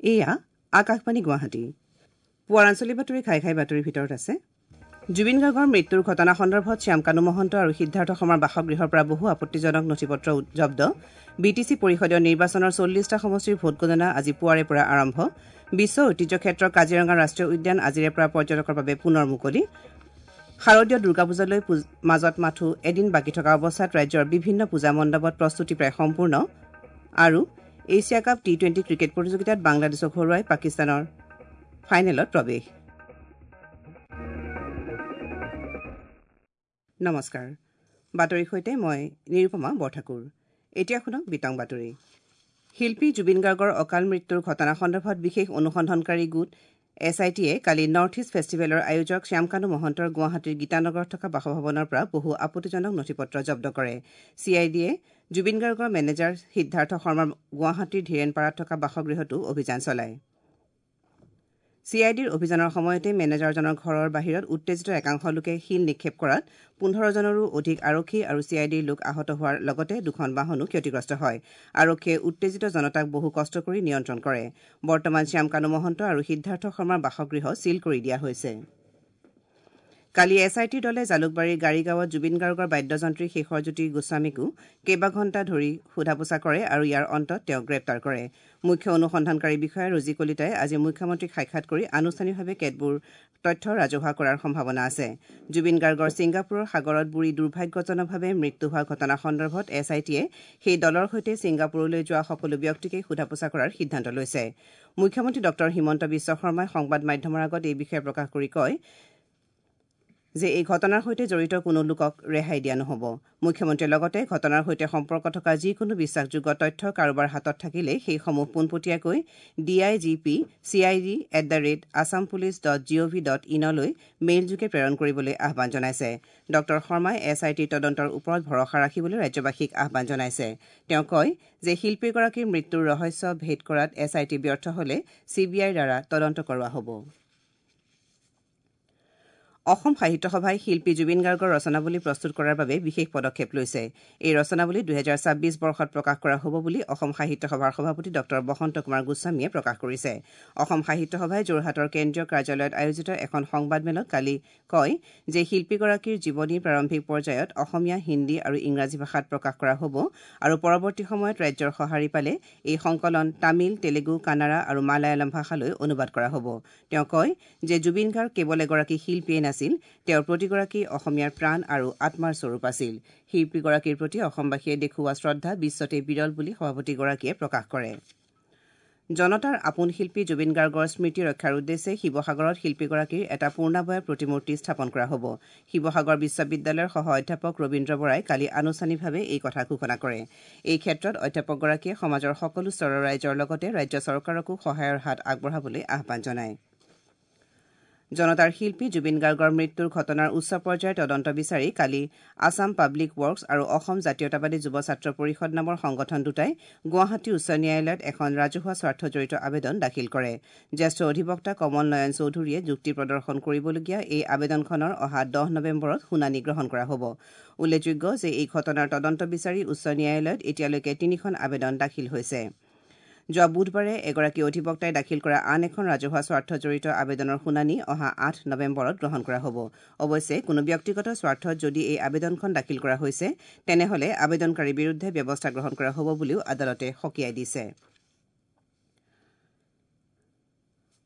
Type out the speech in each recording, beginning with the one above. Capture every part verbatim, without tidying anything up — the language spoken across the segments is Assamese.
এয়া আকাশবাণী গুৱাহাটী। পুৱাৰ আঞ্চলিক বাতৰি খাই খাই বাতৰিৰ ভিতৰত আছে জুবিন গাৰ্গৰ মৃত্যুৰ ঘটনা সন্দৰ্ভত শ্যামকানু মহন্ত আৰু সিদ্ধাৰ্থ শৰ্মাৰ বাসগৃহৰ পৰা বহু আপত্তিজনক নথিপত্ৰ জব্দ। বি টি চি পৰিষদীয় নিৰ্বাচনৰ চল্লিছটা সমষ্টিৰ ভোটগণনা আজি পুৱাৰে পৰা আৰম্ভ। বিশ্ব ঐতিহ্য ক্ষেত্ৰ কাজিৰঙা ৰাষ্ট্ৰীয় উদ্যান আজিৰে পৰা পৰ্যটকৰ বাবে পুনৰ মুকলি। শাৰদীয় দুৰ্গা পূজালৈ মাজত মাথো এদিন বাকী থকা অৱস্থাত ৰাজ্যৰ বিভিন্ন পূজা মণ্ডপত প্ৰস্তুতি প্ৰায় সম্পূৰ্ণ। আৰু Asia cup T twenty cricket প্ৰতিযোগিতাত বাংলাদেশক হৰুৱাই পাকিস্তানৰ ফাইনেলত প্ৰৱেশ। নমস্কাৰ, বাতৰিৰ সৈতে মই নিৰুপমা বৰঠাকুৰ। এতিয়া শুনক বিতং বাতৰি। শিল্পী জুবিন গাৰ্গৰ অকাল মৃত্যুৰ ঘটনা সন্দৰ্ভত বিশেষ অনুসন্ধানকাৰী গোট এছ I টিয়ে কালি নৰ্থ ইষ্ট ফেষ্টিভেলৰ আয়োজক শ্যামকানু মহন্তৰ গুৱাহাটীৰ গীতানগৰত থকা বাসভৱনৰ পৰা বহু আপত্তিজনক নথিপত্ৰ জব্দ কৰে। চি I ডিয়ে জুবিন গাৰ্গৰ মেনেজাৰ সিদ্ধাৰ্থ শৰ্মাৰ গুৱাহাটীৰ ধীৰেণপাৰাত থকা বাসগৃহতো অভিযান চলায়। চি I ডিৰ অভিযানৰ সময়তে মেনেজাৰজনৰ ঘৰৰ বাহিৰত উত্তেজিত একাংশ লোকে শিল নিক্ষেপ কৰাত পোন্ধৰজনৰো অধিক আৰক্ষী আৰু চি I ডিৰ লোক আহত হোৱাৰ লগতে দুখন বাহনো ক্ষতিগ্ৰস্ত হয়। আৰক্ষীয়ে উত্তেজিত জনতাক বহু কষ্ট কৰি নিয়ন্ত্ৰণ কৰে। বৰ্তমান শ্যামকানু মহন্ত আৰু সিদ্ধাৰ্থ শৰ্মাৰ বাসগৃহ ছীল কৰি দিয়া হৈছে। কালি এছ I টিৰ দলে জালুকবাৰীৰ গাড়ীগাঁৱত জুবিন গাৰ্গৰ বাদ্যযন্ত্ৰী শেখৰজ্যোতি গোস্বামীকো কেইবাঘণ্টা ধৰি সোধা পোছা কৰে আৰু ইয়াৰ অন্তত তেওঁক গ্ৰেপ্তাৰ কৰে। মুখ্য অনুসন্ধানকাৰী বিষয়া ৰোজী কলিতাই আজি মুখ্যমন্ত্ৰীক সাক্ষাৎ কৰি আনুষ্ঠানিকভাৱে কেতবোৰ তথ্য ৰাজহুৱা কৰাৰ সম্ভাৱনা আছে। জুবিন গাৰ্গৰ ছিংগাপুৰৰ সাগৰত বুৰি দুৰ্ভাগ্যজনকভাৱে মৃত্যু হোৱা ঘটনা সন্দৰ্ভত এছ I টিয়ে সেই দলৰ সৈতে ছিংগাপুৰলৈ যোৱা সকলো ব্যক্তিকে সোধা পোছা কৰাৰ সিদ্ধান্ত লৈছে। মুখ্যমন্ত্ৰী ডঃ হিমন্ত বিশ্ব শৰ্মাই সংবাদ মাধ্যমৰ আগত এই বিষয়ে প্ৰকাশ কৰি কয় যে এই ঘটনাৰ সৈতে জড়িত কোনো লোকক ৰেহাই দিয়া নহ'ব। মুখ্যমন্ত্ৰীয়ে লগতে ঘটনাৰ সৈতে সম্পৰ্ক থকা যিকোনো বিশ্বাসযোগ্য তথ্য কাৰোবাৰ হাতত থাকিলে সেইসমূহ পোনপটীয়াকৈ D I G P C I D at the rate Assam police dot G O V dot ইনলৈ মেইলযোগে প্ৰেৰণ কৰিবলৈ আহ্বান জনাইছে। ডঃ শৰ্মাই এছ I টিৰ তদন্তৰ ওপৰত ভৰসা ৰাখিবলৈ ৰাজ্যবাসীক আহ্বান জনাইছে। তেওঁ কয় যে শিল্পীগৰাকীৰ মৃত্যুৰ ৰহস্য ভেদ কৰাত এছ I T ব্যৰ্থ হ'লে চি বি আইৰ দ্বাৰা তদন্ত কৰোৱা হ'ব। অসম সাহিত্য সভাই শিল্পী জুবিন গাৰ্গৰ ৰচনাৱলী প্ৰস্তুত কৰাৰ বাবে বিশেষ পদক্ষেপ লৈছে। এই ৰচনাৱলী দুহেজাৰ ছাব্বিছ বৰ্ষত প্ৰকাশ কৰা হ'ব বুলি অসম সাহিত্য সভাৰ সভাপতি ডঃ বসন্ত কুমাৰ গোস্বামীয়ে প্ৰকাশ কৰিছে। অসম সাহিত্য সভাই যোৰহাটৰ কেন্দ্ৰীয় কাৰ্যালয়ত আয়োজিত এখন সংবাদমেলত কালি কয় যে শিল্পীগৰাকীৰ জীৱনী প্ৰাৰম্ভিক পৰ্যায়ত অসমীয়া, হিন্দী আৰু ইংৰাজী ভাষাত প্ৰকাশ কৰা হ'ব আৰু পৰৱৰ্তী সময়ত ৰাজ্যৰ সঁহাৰি পালে এই সংকলন তামিল, তেলেগু, কানাড়া আৰু মালায়ালম ভাষালৈ অনুবাদ কৰা হ'ব। তেওঁ কয় যে জুবিন গাৰ্গ কেৱল এগৰাকী শিল্পীয়ে নাছিল, তেওঁৰ প্ৰতিগৰাকী অসমীয়াৰ প্ৰাণ আৰু আত্মাৰ স্বৰূপ আছিল। শিল্পীগৰাকীৰ প্ৰতি অসমবাসীয়ে দেখুওৱা শ্ৰদ্ধা বিশ্বতে বিৰল বুলি সভাপতিগৰাকীয়ে প্ৰকাশ কৰে। জনতাৰ আপোন শিল্পী জুবিন গাৰ্গৰ স্মৃতি ৰক্ষাৰ উদ্দেশ্যে শিৱসাগৰত শিল্পীগৰাকীৰ এটা পূৰ্ণাবয়ব প্ৰতিমূৰ্তি স্থাপন কৰা হ'ব। শিৱসাগৰ বিশ্ববিদ্যালয়ৰ সহ অধ্যাপক ৰবীন্দ্ৰ বৰাই কালি আনুষ্ঠানিকভাৱে এই কথা ঘোষণা কৰে। এই ক্ষেত্ৰত অধ্যাপকগৰাকীয়ে সমাজৰ সকলো স্তৰৰ ৰাইজৰ লগতে ৰাজ্য চৰকাৰকো সহায়ৰ হাত আগবঢ়াবলৈ আহ্বান জনায়। জনতাৰ শিল্পী জুবিন গাৰ্গৰ মৃত্যুৰ ঘটনাৰ উচ্চ পৰ্যায়ৰ তদন্ত বিচাৰি কালি আছাম পাব্লিক ৱৰ্কছ আৰু অসম জাতীয়তাবাদী যুৱ ছাত্ৰ পৰিষদ নামৰ সংগঠন দুটাই গুৱাহাটী উচ্চ ন্যায়ালয়ত এখন ৰাজহুৱা স্বাৰ্থজড়িত আবেদন দাখিল কৰে। জ্যেষ্ঠ অধিবক্তা কমল নয়ন চৌধুৰীয়ে যুক্তি প্ৰদৰ্শন কৰিবলগীয়া এই আবেদনখনৰ অহা দহ নৱেম্বৰত শুনানি গ্ৰহণ কৰা হ'ব। উল্লেখযোগ্য যে এই ঘটনাৰ তদন্ত বিচাৰি উচ্চ ন্যায়ালয়ত এতিয়ালৈকে তিনিখন আবেদন দাখিল হৈছে। যোৱা বুধবাৰে এগৰাকী অধিবক্তাই দাখিল কৰা আন এখন ৰাজহুৱা স্বাৰ্থজড়িত আবেদনৰ শুনানি অহা আঠ নৱেম্বৰত গ্ৰহণ কৰা হ'ব। অৱশ্যে কোনো ব্যক্তিগত স্বাৰ্থত যদি এই আবেদনখন দাখিল কৰা হৈছে তেনেহ'লে আবেদনকাৰীৰ বিৰুদ্ধে ব্যৱস্থা গ্ৰহণ কৰা হ'ব বুলিও আদালতে সকীয়াই দিছে।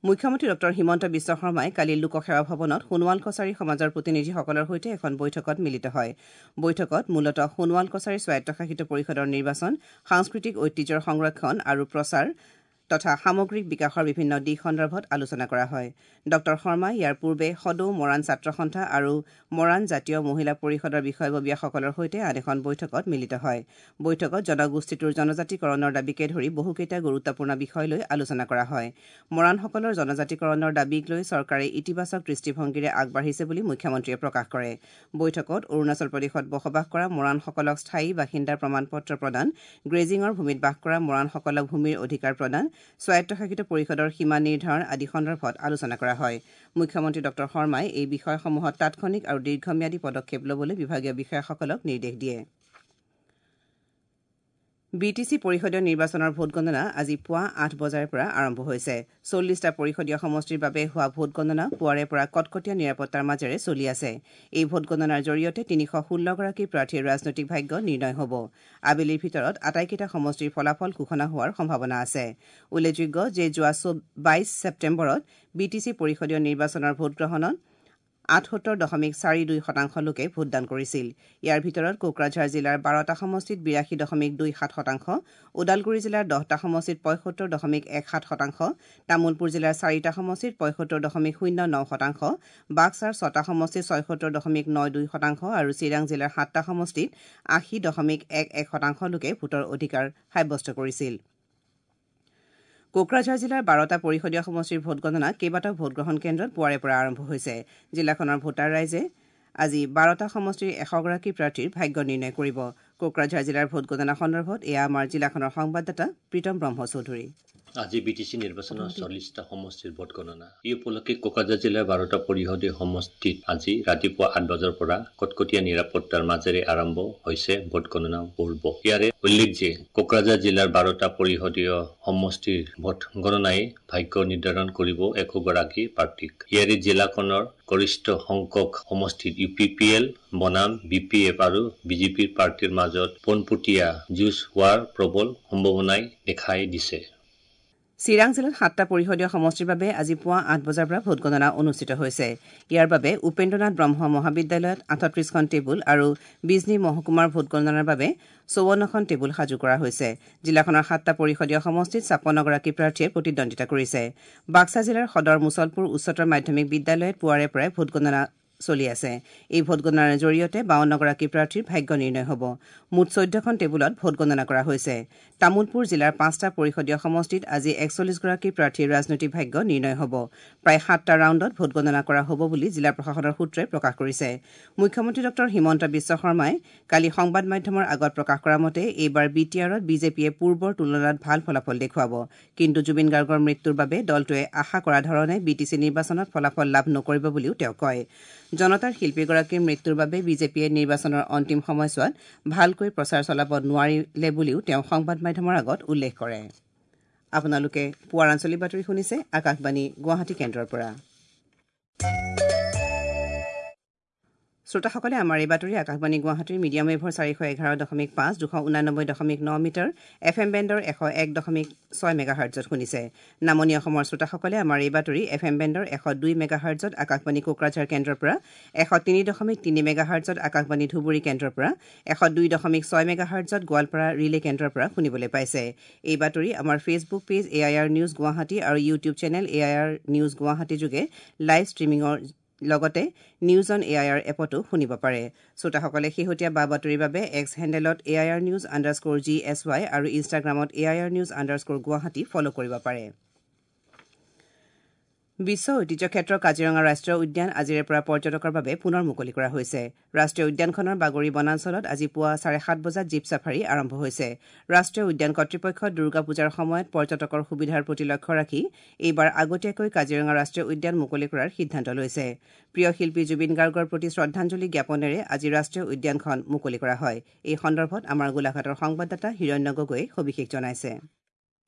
মুখ্যমন্ত্ৰী ডঃ হিমন্ত বিশ্ব শৰ্মাই কালি লোকসেৱা ভৱনত সোণোৱাল কছাৰী সমাজৰ প্ৰতিনিধিসকলৰ সৈতে এখন বৈঠকত মিলিত হয়। বৈঠকত মূলতঃ সোণোৱাল কছাৰী স্বায়ত্তশাসিত পৰিষদৰ নিৰ্বাচন, সাংস্কৃতিক ঐতিহ্যৰ সংৰক্ষণ আৰু প্ৰচাৰ তথা সামগ্ৰিক বিকাশৰ বিভিন্ন দিশ সন্দৰ্ভত আলোচনা কৰা হয়। ডঃ শৰ্মাই ইয়াৰ পূৰ্বে সদৌ মৰাণ ছাত্ৰ সন্থা আৰু মৰাণ জাতীয় মহিলা পৰিষদৰ বিষয়ববীয়াসকলৰ সৈতে আন এখন বৈঠকত মিলিত হয়। বৈঠকত জনগোষ্ঠীটোৰ জনজাতিকৰণৰ দাবীকে ধৰি বহুকেইটা গুৰুত্বপূৰ্ণ বিষয় লৈ আলোচনা কৰা হয়। মৰাণসকলৰ জনজাতিকৰণৰ দাবীক লৈ চৰকাৰে ইতিবাচক দৃষ্টিভংগীৰে আগবাঢ়িছে বুলি মুখ্যমন্ত্ৰীয়ে প্ৰকাশ কৰে। বৈঠকত অৰুণাচল প্ৰদেশত বসবাস কৰা মৰাণসকলক স্থায়ী বাসিন্দাৰ প্ৰমাণপত্ৰ প্ৰদান, গ্ৰেজিঙৰ ভূমিত বাস কৰা মৰাণসকলক ভূমিৰ অধিকাৰ প্ৰদান, স্বায়ত্তশাসিত পৰিষদৰ সীমা নিৰ্ধাৰণ আদি সন্দৰ্ভত আলোচনা কৰা হয়। মুখ্যমন্ত্ৰী ডঃ শৰ্মাই এই বিষয়সমূহত তাৎক্ষণিক আৰু দীৰ্ঘম্যাদী পদক্ষেপ ল'বলৈ বিভাগীয় বিষয়াসকলক নিৰ্দেশ দিয়ে। বি টি চি পৰিষদীয় নিৰ্বাচনৰ ভোটগণনা আজি পুৱা আঠ বজাৰে পৰা আৰম্ভ হৈছে। চল্লিছটা পৰিষদীয় সমষ্টিৰ বাবে হোৱা ভোটগণনা পুৱাৰে পৰা কটকটীয়া নিৰাপত্তাৰ মাজেৰে চলি আছে। এই ভোটগণনাৰ জৰিয়তে তিনিশ ষোল্লগৰাকী প্ৰাৰ্থীৰ ৰাজনৈতিক ভাগ্য নিৰ্ণয় হ'ব। আবেলিৰ ভিতৰত আটাইকেইটা সমষ্টিৰ ফলাফল ঘোষণা হোৱাৰ সম্ভাৱনা আছে। উল্লেখযোগ্য যে যোৱা বাইছ ছেপ্টেম্বৰত বি টি চি পৰিষদীয় নিৰ্বাচনৰ ভোটগ্ৰহণত আঠসত্তৰ দশমিক চাৰি দুই শতাংশ লোকে ভোটদান কৰিছিল। ইয়াৰ ভিতৰত কোকৰাঝাৰ জিলাৰ বাৰটা সমষ্টিত বিৰাশী দশমিক দুই সাত শতাংশ, ওদালগুৰি জিলাৰ দহটা সমষ্টিত পঁয়সত্তৰ দশমিক এক সাত শতাংশ, তামুলপুৰ জিলাৰ চাৰিটা সমষ্টিত পঁয়সত্তৰ দশমিক শূন্য ন শতাংশ, বাক্সাৰ ছটা সমষ্টিত ছয়সত্তৰ দশমিক ন দুই শতাংশ আৰু চিৰাং জিলাৰ সাতটা সমষ্টিত আশী দশমিক এক এক শতাংশ লোকে ভোটৰ অধিকাৰ সাব্যস্ত কৰিছিল। কোকৰাঝাৰ জিলাৰ বাৰটা পৰিষদীয় সমষ্টিৰ ভোটগণনা কেইবাটাও ভোটগ্ৰহণ কেন্দ্ৰত পুৱাৰে পৰা আৰম্ভ হৈছে। জিলাখনৰ ভোটাৰ ৰাইজে আজি বাৰটা সমষ্টিৰ এশগৰাকী প্ৰাৰ্থীৰ ভাগ্য নিৰ্ণয় কৰিব। কোকৰাঝাৰ জিলাৰ ভোটগণনা সন্দৰ্ভত এয়া আমাৰ জিলাখনৰ সংবাদদাতা প্ৰীতম ব্ৰহ্ম চৌধুৰী। আজি বি টি চি নিৰ্বাচনৰ চল্লিছটা সমষ্টিৰ ভোটগণনা। এই উপলক্ষে কোকৰাঝাৰ জিলাৰ বাৰটা পৰিষদীয় সমষ্টিত আজি ৰাতিপুৱা আঠ বজাৰ পৰা কটকটীয়া নিৰাপত্তাৰ মাজেৰে আৰম্ভ হৈছে ভোটগণনা পৰ্ব। ইয়াৰে উল্লেখ যে কোকৰাঝাৰ জিলাৰ বাৰটা পৰিষদীয় সমষ্টিৰ ভোটগণনাই ভাগ্য নিৰ্ধাৰণ কৰিব এশগৰাকী প্ৰাৰ্থীক। ইয়াৰে জিলাখনৰ গৰিষ্ঠ সংখ্যক সমষ্টিত ইউ পি পি এল বনাম বি পি এফ আৰু বিজেপিৰ প্ৰাৰ্থীৰ মাজত পোনপটীয়া যুঁজ হোৱাৰ প্ৰবল সম্ভাৱনাই দেখাই দিছে। চিৰাং জিলাত সাতটা পৰিষদীয় সমষ্টিৰ বাবে আজি পুৱা আঠ বজাৰ পৰা ভোটগণনা অনুষ্ঠিত হৈছে। ইয়াৰ বাবে উপেন্দ্ৰনাথ ব্ৰহ্ম মহাবিদ্যালয়ত আঠত্ৰিছখন টেবুল আৰু বিজনী মহকুমাৰ ভোটগণনাৰ বাবে চৌৱন্নখন টেবুল সাজু কৰা হৈছে। জিলাখনৰ সাতটা পৰিষদীয় সমষ্টিত ছাপন্নগৰাকী প্ৰাৰ্থীয়ে প্ৰতিদ্বন্দ্বিতা কৰিছে। বাক্সা জিলাৰ সদৰ মুছলপুৰ উচ্চতৰ মাধ্যমিক বিদ্যালয়ত পুৱাৰে পৰাই ভোটগণনা চলি আছে। এই ভোটগণনাৰ জৰিয়তে বাৱন্নগৰাকী প্ৰাৰ্থীৰ ভাগ্য নিৰ্ণয় হ'ব। মুঠ চৈধ্যখন টেবুলত ভোটগণনা কৰা হৈছে। তামুলপুৰ জিলাৰ পাঁচটা পৰিষদীয় সমষ্টিত আজি একচল্লিছগৰাকী প্ৰাৰ্থীৰ ৰাজনৈতিক ভাগ্য নিৰ্ণয় হ'ব। প্ৰায় সাতটা ৰাউণ্ডত ভোটগণনা কৰা হ'ব বুলি জিলা প্ৰশাসনৰ সূত্ৰই প্ৰকাশ কৰিছে। মুখ্যমন্ত্ৰী ডঃ হিমন্ত বিশ্ব শৰ্মাই কালি সংবাদ মাধ্যমৰ আগত প্ৰকাশ কৰা মতে এইবাৰ বি টি আৰত বিজেপিয়ে পূৰ্বৰ তুলনাত ভাল ফলাফল দেখুৱাব। কিন্তু জুবিন গাৰ্গৰ মৃত্যুৰ বাবে দলটোৱে আশা কৰা ধৰণে বি টি চি নিৰ্বাচনত ফলাফল লাভ নকৰিব বুলিও তেওঁ কয়। জনতাৰ শিল্পীগৰাকীৰ মৃত্যুৰ বাবে বিজেপিয়ে নিৰ্বাচনৰ অন্তিম সময়ছোৱাত ভালকৈ প্ৰচাৰ চলাব নোৱাৰিলে বুলিও তেওঁ সংবাদ মাধ্যমৰ আগত উল্লেখ কৰে। আপোনালোকে পুৱাৰ আঞ্চলিক বাতৰি শুনিছে আকাশবাণী গুৱাহাটী কেন্দ্ৰৰ পৰা। শ্ৰোতাসকলে আমাৰ এই বাতৰি আকাশবাণী গুৱাহাটীৰ মিডিয়াম ৱেভৰ চাৰিশ এঘাৰ দশমিক পাঁচ, দুশ ঊনানব্বৈ দশমিক ন মিটাৰ, এফ এম বেণ্ডৰ এশ এক দশমিক ছয় মেগাহাৰ্টজত শুনিছে। নামনি অসমৰ শ্ৰোতাসকলে আমাৰ এই বাতৰি এফ এম বেণ্ডৰ এশ দুই মেগাহাৰ্টজত আকাশবাণী কোকৰাঝাৰ কেন্দ্ৰৰ পৰা, এশ তিনি দশমিক তিনি মেগাহাৰ্টজত আকাশবাণী ধুবুৰী কেন্দ্ৰৰ পৰা, এশ দুই দশমিক ছয় মেগাহাৰ্টজত গোৱালপাৰা ৰিলে কেন্দ্ৰৰ পৰা শুনিবলৈ পাইছে। এই বাতৰি আমাৰ Facebook page A I R news Guwahati আৰু YouTube channel A I R news Guwahati যোগে লাইভ ষ্ট্ৰীমিঙৰ লগতে news on A I R এপতো শুনিব পাৰে। শ্ৰোতাসকলে শেহতীয়া বা বাতৰিৰ বাবে এক্স হেণ্ডেলত A I R news underscore G S Y আৰু ইনষ্টাগ্ৰামত A I R news underscore Guwahati follow কৰিব পাৰে। বিশ্ব ঐতিহ্য ক্ষেত্ৰ কাজিৰঙা ৰাষ্ট্ৰীয় উদ্যান আজিৰে পৰা পৰ্যটকৰ বাবে পুনৰ মুকলি কৰা হৈছে। ৰাষ্ট্ৰীয় উদ্যানখনৰ বাগৰি বনাঞ্চলত আজি পুৱা চাৰে সাত বজাত জীপ ছাফাৰী আৰম্ভ হৈছে। ৰাষ্ট্ৰীয় উদ্যান কৰ্তৃপক্ষই দুৰ্গা পূজাৰ সময়ত পৰ্যটকৰ সুবিধাৰ প্ৰতি লক্ষ্য ৰাখি এইবাৰ আগতীয়াকৈ কাজিৰঙা ৰাষ্ট্ৰীয় উদ্যান মুকলি কৰাৰ সিদ্ধান্ত লৈছে। প্ৰিয় শিল্পী জুবিন গাৰ্গৰ প্ৰতি শ্ৰদ্ধাঞ্জলি জ্ঞাপনেৰে আজি ৰাষ্ট্ৰীয় উদ্যানখন মুকলি কৰা হয়। এই সন্দৰ্ভত আমাৰ গোলাঘাটৰ সংবাদদাতা হিৰণ্য গগৈয়ে সবিশেষ জনাইছে।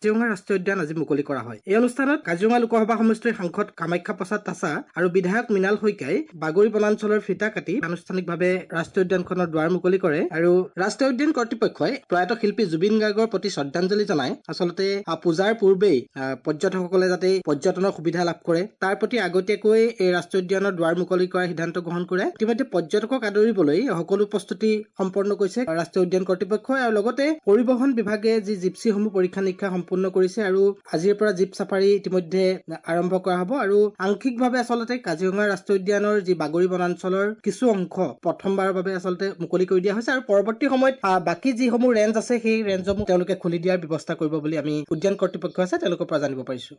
কাজিৰঙা ৰাষ্ট্ৰীয় উদ্যান আজি মুকলি কৰা হয়। এই অনুষ্ঠানত কাজিৰঙা লোকসভা সমষ্টিৰ সাংসদ কামাখ্যা প্ৰসাদ তাছা আৰু বিধায়ক মৃণাল শইকীয়াই বাগৰি বনাঞ্চলৰ ফিটা কাটি আনুষ্ঠানিকভাৱে ৰাষ্ট্ৰীয় উদ্যানখনৰ দুৱাৰ মুকলি কৰে আৰু ৰাষ্ট্ৰীয় উদ্যান কৰ্তৃপক্ষই প্ৰয়াত শিল্পী জুবিন গাৰ্গৰ প্ৰতি শ্ৰদ্ধাঞ্জলি জনাই আচলতে পূজাৰ পূৰ্বেই পৰ্যটকসকলে যাতে পৰ্যটনৰ সুবিধা লাভ কৰে তাৰ প্ৰতি আগতীয়াকৈ এই ৰাষ্ট্ৰীয় উদ্যানৰ দুৱাৰ মুকলি কৰাৰ সিদ্ধান্ত গ্ৰহণ কৰে। ইতিমধ্যে পৰ্যটকক আদৰিবলৈ সকলো প্ৰস্তুতি সম্পন্ন কৰিছে ৰাষ্ট্ৰীয় উদ্যান কৰ্তৃপক্ষই আৰু লগতে পৰিবহণ বিভাগে যি জিপচিসমূহ পৰীক্ষা নিৰীক্ষা সম্পূৰ্ণ কৰিছে আৰু আজিৰ পৰা জীপ ছাফাৰী ইতিমধ্যে আৰম্ভ কৰা হ'ব আৰু আংশিকভাৱে আচলতে কাজিৰঙা ৰাষ্ট্ৰীয় উদ্যানৰ যি বাগৰি বনাঞ্চলৰ কিছু অংশ প্ৰথমবাৰৰ বাবে আচলতে মুকলি কৰি দিয়া হৈছে আৰু পৰৱৰ্তী সময়ত বাকী যিসমূহ ৰেঞ্জ আছে সেই ৰেঞ্জসমূহ তেওঁলোকে খুলি দিয়াৰ ব্যৱস্থা কৰিব বুলি আমি উদ্যান কৰ্তৃপক্ষ আছে তেওঁলোকৰ পৰা জানিব পাৰিছো।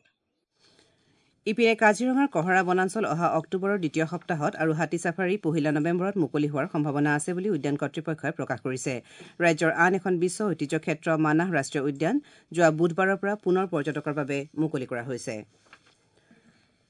ইপিনে কাজিৰঙাৰ কহৰা বনাঞ্চল অহা অক্টোবৰৰ দ্বিতীয় সপ্তাহত আৰু হাতী ছাফাৰী পহিলা নৱেম্বৰত মুকলি হোৱাৰ সম্ভাৱনা আছে বুলি উদ্যান কৰ্তৃপক্ষই প্ৰকাশ কৰিছে। ৰাজ্যৰ আন এখন বিশ্ব ঐতিহ্য ক্ষেত্ৰ মানাহ ৰাষ্ট্ৰীয় উদ্যান যোৱা বুধবাৰৰ পৰা পুনৰ পৰ্যটকৰ বাবে মুকলি কৰা হৈছে।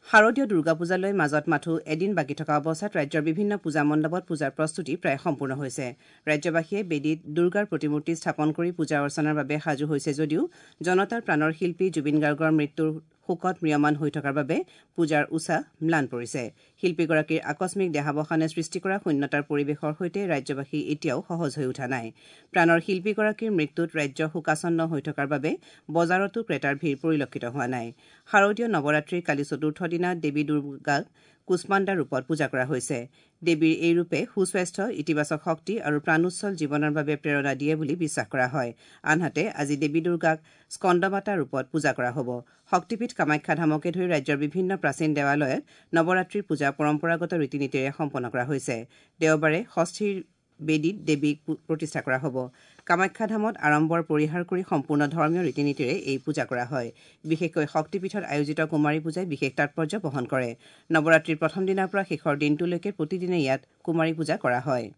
শাৰদীয় দুৰ্গা পূজালৈ মাজত মাথো এদিন বাকী থকা অৱস্থাত ৰাজ্যৰ বিভিন্ন পূজা মণ্ডপত পূজাৰ প্ৰস্তুতি প্ৰায় সম্পূৰ্ণ হৈছে। ৰাজ্যবাসীয়ে বেদীত দুৰ্গাৰ প্ৰতিমূৰ্তি স্থাপন কৰি পূজা অৰ্চনাৰ বাবে সাজু হৈছে যদিও জনতাৰ প্ৰাণৰ শিল্পী জুবিন গাৰ্গৰ মৃত্যুৰ শোকত ম্ৰিয়মান হৈ থকাৰ বাবে পূজাৰ উছাহ ম্লান পৰিছে। শিল্পীগৰাকীৰ আকস্মিক দেহাৱসানে সৃষ্টি কৰা শূন্যতাৰ পৰিৱেশৰ সৈতে ৰাজ্যবাসী এতিয়াও সহজ হৈ উঠা নাই। প্ৰাণৰ শিল্পীগৰাকীৰ মৃত্যুত ৰাজ্য শোকাচ্ছন্ন হৈ থকাৰ বাবে বজাৰতো ক্ৰেতাৰ ভিৰ পৰিলক্ষিত হোৱা নাই। শাৰদীয় নৱৰাত্ৰিৰ কালি চতুৰ্থ দিনা দেৱী দুৰ্গাক কুষ্মাণ্ডা ৰূপত পূজা কৰা হৈছে। দেৱীৰ এই ৰূপে সুস্বাস্থ্য, ইতিবাচক শক্তি আৰু প্ৰাণোচ্ছল জীৱনৰ বাবে প্ৰেৰণা দিয়ে বুলি বিশ্বাস কৰা হয়। আনহাতে আজি দেৱী দুৰ্গাক স্কন্দমাতা ৰূপত পূজা কৰা হ'ব। শক্তিপীঠ কামাখ্যা ধামকে ধৰি ৰাজ্যৰ বিভিন্ন প্ৰাচীন দেৱালয়ত নৱৰাত্ৰিৰ পূজা পৰম্পৰাগত ৰীতি নীতিৰে সম্পন্ন কৰা হৈছে। দেওবাৰে ষষ্ঠীৰ বেদীত দেৱীক প্ৰতিষ্ঠা কৰা হ'ব। কামাখ্যা ধামত আড়ম্বৰ পৰিহাৰ কৰি সম্পূৰ্ণ ধৰ্মীয় ৰীতি নীতিৰে এই পূজা কৰা হয়। বিশেষকৈ শক্তিপীঠত আয়োজিত কুমাৰী পূজাই বিশেষ তাৎপৰ্য বহন কৰে। নৱৰাত্ৰিৰ প্ৰথম দিনাৰ পৰা শেষৰ দিনটোলৈকে প্ৰতিদিনে ইয়াত কুমাৰী পূজা কৰা হয়।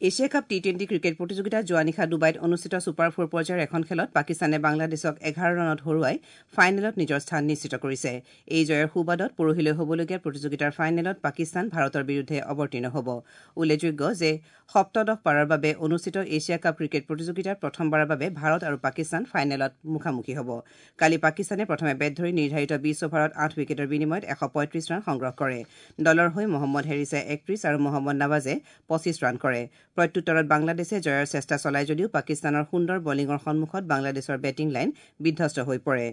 Asia cup T twenty cricket প্ৰতিযোগিতাত যোৱা নিশা ডুবাইত অনুষ্ঠিত ছুপাৰ ফ'ৰ পৰ্যায়ৰ এখন খেলত পাকিস্তানে বাংলাদেশক এঘাৰ ৰানত হৰুৱাই ফাইনেলত নিজৰ স্থান নিশ্চিত কৰিছে। এই জয়ৰ সুবাদত পৰহিলৈ হ'বলগীয়া প্ৰতিযোগিতাৰ ফাইনেলত পাকিস্তান ভাৰতৰ বিৰুদ্ধে অৱতীৰ্ণ হ'ব। উল্লেখযোগ্য যে সপ্তদশবাৰৰ বাবে অনুষ্ঠিত এছিয়া কাপ ক্ৰিকেট প্ৰতিযোগিতাত প্ৰথমবাৰৰ বাবে ভাৰত আৰু পাকিস্তান ফাইনেলত মুখামুখি হ'ব। কালি পাকিস্তানে প্ৰথমে বেট ধৰি নিৰ্ধাৰিত বিছ অভাৰত আঠ উইকেটৰ বিনিময়ত এশ পঁয়ত্ৰিছ ৰান সংগ্ৰহ কৰে। দলৰ হৈ মহম্মদ হেৰিছে একত্ৰিছ আৰু মহম্মদ নৱাজে পঁচিছ ৰান কৰে। প্ৰত্যুত্তৰত বাংলাদেশে জয়ৰ চেষ্টা চলায় যদিও পাকিস্তানৰ সুন্দৰ বলিঙৰ সন্মুখত বাংলাদেশৰ বেটিং লাইন বিধ্বস্ত হৈ পৰে।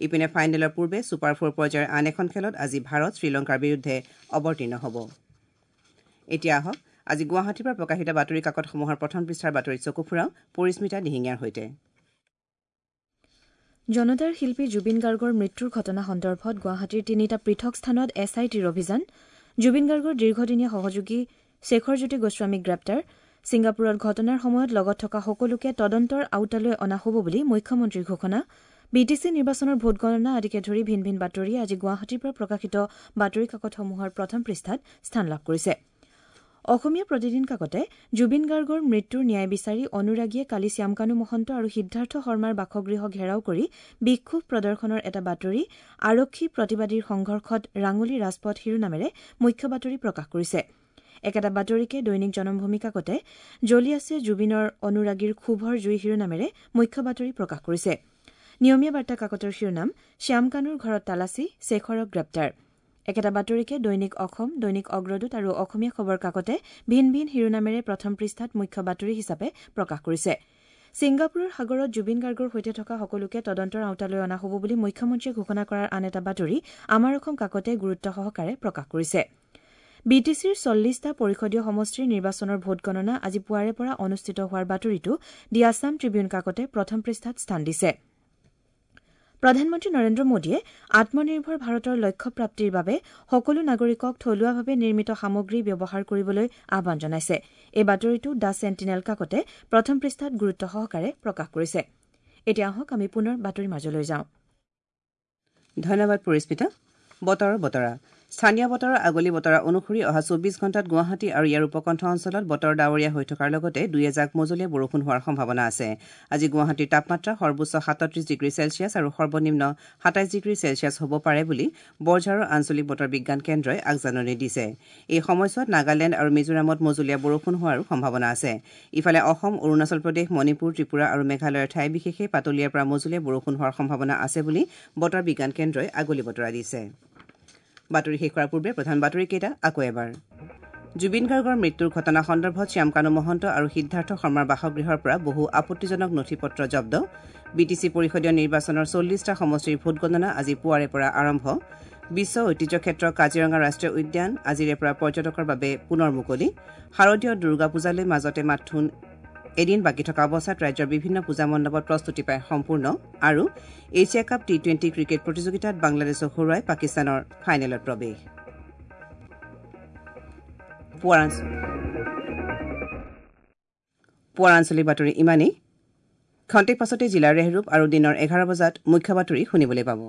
ইপিনে ফাইনেলৰ পূৰ্বে ছুপাৰ ফ'ৰ পৰ্যায়ৰ আন এখন খেলত আজি ভাৰত শ্ৰীলংকাৰ বিৰুদ্ধে অৱতীৰ্ণ হ'ব। এতিয়া আহক আজি গুৱাহাটীৰ পৰা প্ৰকাশিত বাতৰি কাকতসমূহৰ প্ৰথম পৃষ্ঠাৰ বাতৰিত চকু ফুৰাওঁ পৰিস্মিতা দিহিঙীয়াৰ সৈতে। জনতাৰ শিল্পী জুবিন গাৰ্গৰ মৃত্যুৰ ঘটনা সন্দৰ্ভত গুৱাহাটীৰ তিনিটা পৃথক স্থানত এছ I টিৰ অভিযান, জুবিন গাৰ্গৰ দীৰ্ঘদিনীয়া সহযোগী শেখৰজ্যোতি গোস্বামীক গ্ৰেপ্তাৰ, ছিংগাপুৰত ঘটনাৰ সময়ত লগত থকা সকলোকে তদন্তৰ আওতালৈ অনা হ'ব বুলি মুখ্যমন্ত্ৰীৰ ঘোষণা, বি টি চি নিৰ্বাচনৰ ভোটগণনা আদিকে ধৰি ভিন ভিন বাতৰিয়ে আজি গুৱাহাটীৰ পৰা প্ৰকাশিত বাতৰি কাকতসমূহৰ প্ৰথম পৃষ্ঠাত স্থান লাভ কৰিছে। অসমীয়া প্ৰতিদিন কাকতে জুবিন গাৰ্গৰ মৃত্যুৰ ন্যায় বিচাৰি অনুৰাগীয়ে কালি শ্যামকানু মহন্ত আৰু সিদ্ধাৰ্থ শৰ্মাৰ বাসগৃহ ঘেৰাও কৰি বিক্ষোভ প্ৰদৰ্শনৰ এটা বাতৰি আৰক্ষী প্ৰতিবাদীৰ সংঘৰ্ষত ৰাঙলী ৰাজপথ শিৰোনামেৰে মুখ্য বাতৰি প্ৰকাশ কৰিছে। একেটা বাতৰিকে দৈনিক জনমভূমি কাকতে জ্বলি আছে জুবিনৰ অনুৰাগীৰ ক্ষোভৰ জুই শিৰোনামেৰে মুখ্য বাতৰি প্ৰকাশ কৰিছে। নিয়মীয়া বাৰ্তা কাকতৰ শিৰোনাম শ্যামকানুৰ ঘৰত তালাচী, শেখৰক গ্ৰেপ্তাৰ। একেটা বাতৰিকে দৈনিক অসম, দৈনিক অগ্ৰদূত আৰু অসমীয়া খবৰ কাকতে ভিন ভিন শিৰোনামেৰে প্ৰথম পৃষ্ঠাত মুখ্য বাতৰি হিচাপে প্ৰকাশ কৰিছে। ছিংগাপুৰৰ সাগৰত জুবিন গাৰ্গৰ সৈতে থকা সকলোকে তদন্তৰ আওতালৈ অনা হ'ব বুলি মুখ্যমন্ত্ৰীয়ে ঘোষণা কৰাৰ আন এটা বাতৰি আমাৰ অসম কাকতে গুৰুত্ব সহকাৰে প্ৰকাশ কৰিছে। বি টি চিৰ চল্লিছটা পৰিষদীয় সমষ্টিৰ নিৰ্বাচনৰ ভোটগণনা আজি পুৱাৰে পৰা অনুষ্ঠিত হোৱাৰ বাতৰিটো দি আছাম ট্ৰিবিউন কাকতে প্ৰথম পৃষ্ঠাত স্থান দিছে। প্ৰধানমন্ত্ৰী নৰেন্দ্ৰ মোদীয়ে আত্মনিৰ্ভৰ ভাৰতৰ লক্ষ্য প্ৰাপ্তিৰ বাবে সকলো নাগৰিকক থলুৱাভাৱে নিৰ্মিত সামগ্ৰী ব্যৱহাৰ কৰিবলৈ আহ্বান জনাইছে। এই বাতৰিটো the sentinel কাকতে প্ৰথম পৃষ্ঠাত গুৰুত্ব সহকাৰে প্ৰকাশ কৰিছে। এতিয়া আহক আমি পুনৰ বাতৰিৰ মাজলৈ যাওঁ। ধন্যবাদ পৰিস্মিতা। বতৰৰ বতৰা। স্থানীয় বতৰৰ আগলি বতৰা অনুসৰি অহা চৌবিছ ঘণ্টাত গুৱাহাটী আৰু ইয়াৰ উপকণ্ঠ অঞ্চলত বতৰ ডাৱৰীয়া হৈ থকাৰ লগতে দুই এজাক মজলীয়া বৰষুণ হোৱাৰ সম্ভাৱনা আছে। আজি গুৱাহাটীৰ তাপমাত্ৰা সৰ্বোচ্চ সাতত্ৰিছ ডিগ্ৰী চেলছিয়াছ আৰু সৰ্বনিম্ন সাতাইছ ডিগ্ৰী চেলছিয়াছ হ'ব পাৰে বুলি বৰঝাৰৰ আঞ্চলিক বতৰ বিজ্ঞান কেন্দ্ৰই আগজাননী দিছে। এই সময়ছোৱাত নাগালেণ্ড আৰু মিজোৰামত মজলীয়া বৰষুণ হোৱাৰো সম্ভাৱনা আছে। ইফালে অসম, অৰুণাচল প্ৰদেশ, মণিপুৰ, ত্ৰিপুৰা আৰু মেঘালয়ৰ ঠাই বিশেষে পাতলীয়াৰ পৰা মজলীয়া বৰষুণ হোৱাৰ সম্ভাৱনা আছে বুলি বতৰ বিজ্ঞান কেন্দ্ৰই আগলি বতৰা দিছে। বাতৰি শেষ কৰাৰ পূৰ্বে প্ৰধান বাতৰিকেইটা আকৌ এবাৰ। জুবিন গাৰ্গৰ মৃত্যুৰ ঘটনা সন্দৰ্ভত শ্যামকানু মহন্ত আৰু সিদ্ধাৰ্থ শৰ্মাৰ বাসগৃহৰ পৰা বহু আপত্তিজনক নথি পত্ৰ জব্দ। বি টি চি পৰিষদীয় নিৰ্বাচনৰ চল্লিছটা সমষ্টিৰ ভোটগণনা আজি পুৱাৰে পৰা আৰম্ভ। বিশ্ব ঐতিহ্য ক্ষেত্ৰ কাজিৰঙা ৰাষ্ট্ৰীয় উদ্যান আজিৰে পৰা পৰ্যটকৰ বাবে পুনৰ মুকলি। শাৰদীয় দুৰ্গা পূজালৈ মাজতে মাথোন এদিন বাকী থকা অৱস্থাত ৰাজ্যৰ বিভিন্ন পূজা মণ্ডপত প্ৰস্তুতি প্ৰায় সম্পূৰ্ণ। আৰু Asia cup T twenty cricket প্ৰতিযোগিতাত বাংলাদেশক হৰুৱাই পাকিস্তানৰ ফাইনেলত প্ৰৱেশ। পুৱাৰ আঞ্চলিক বাতৰি ইমানেই। খন্তেক পাছতে জিলাৰ ৰেহৰূপ আৰু দিনৰ এঘাৰ বজাত মুখ্য বাতৰি শুনিবলৈ পাব।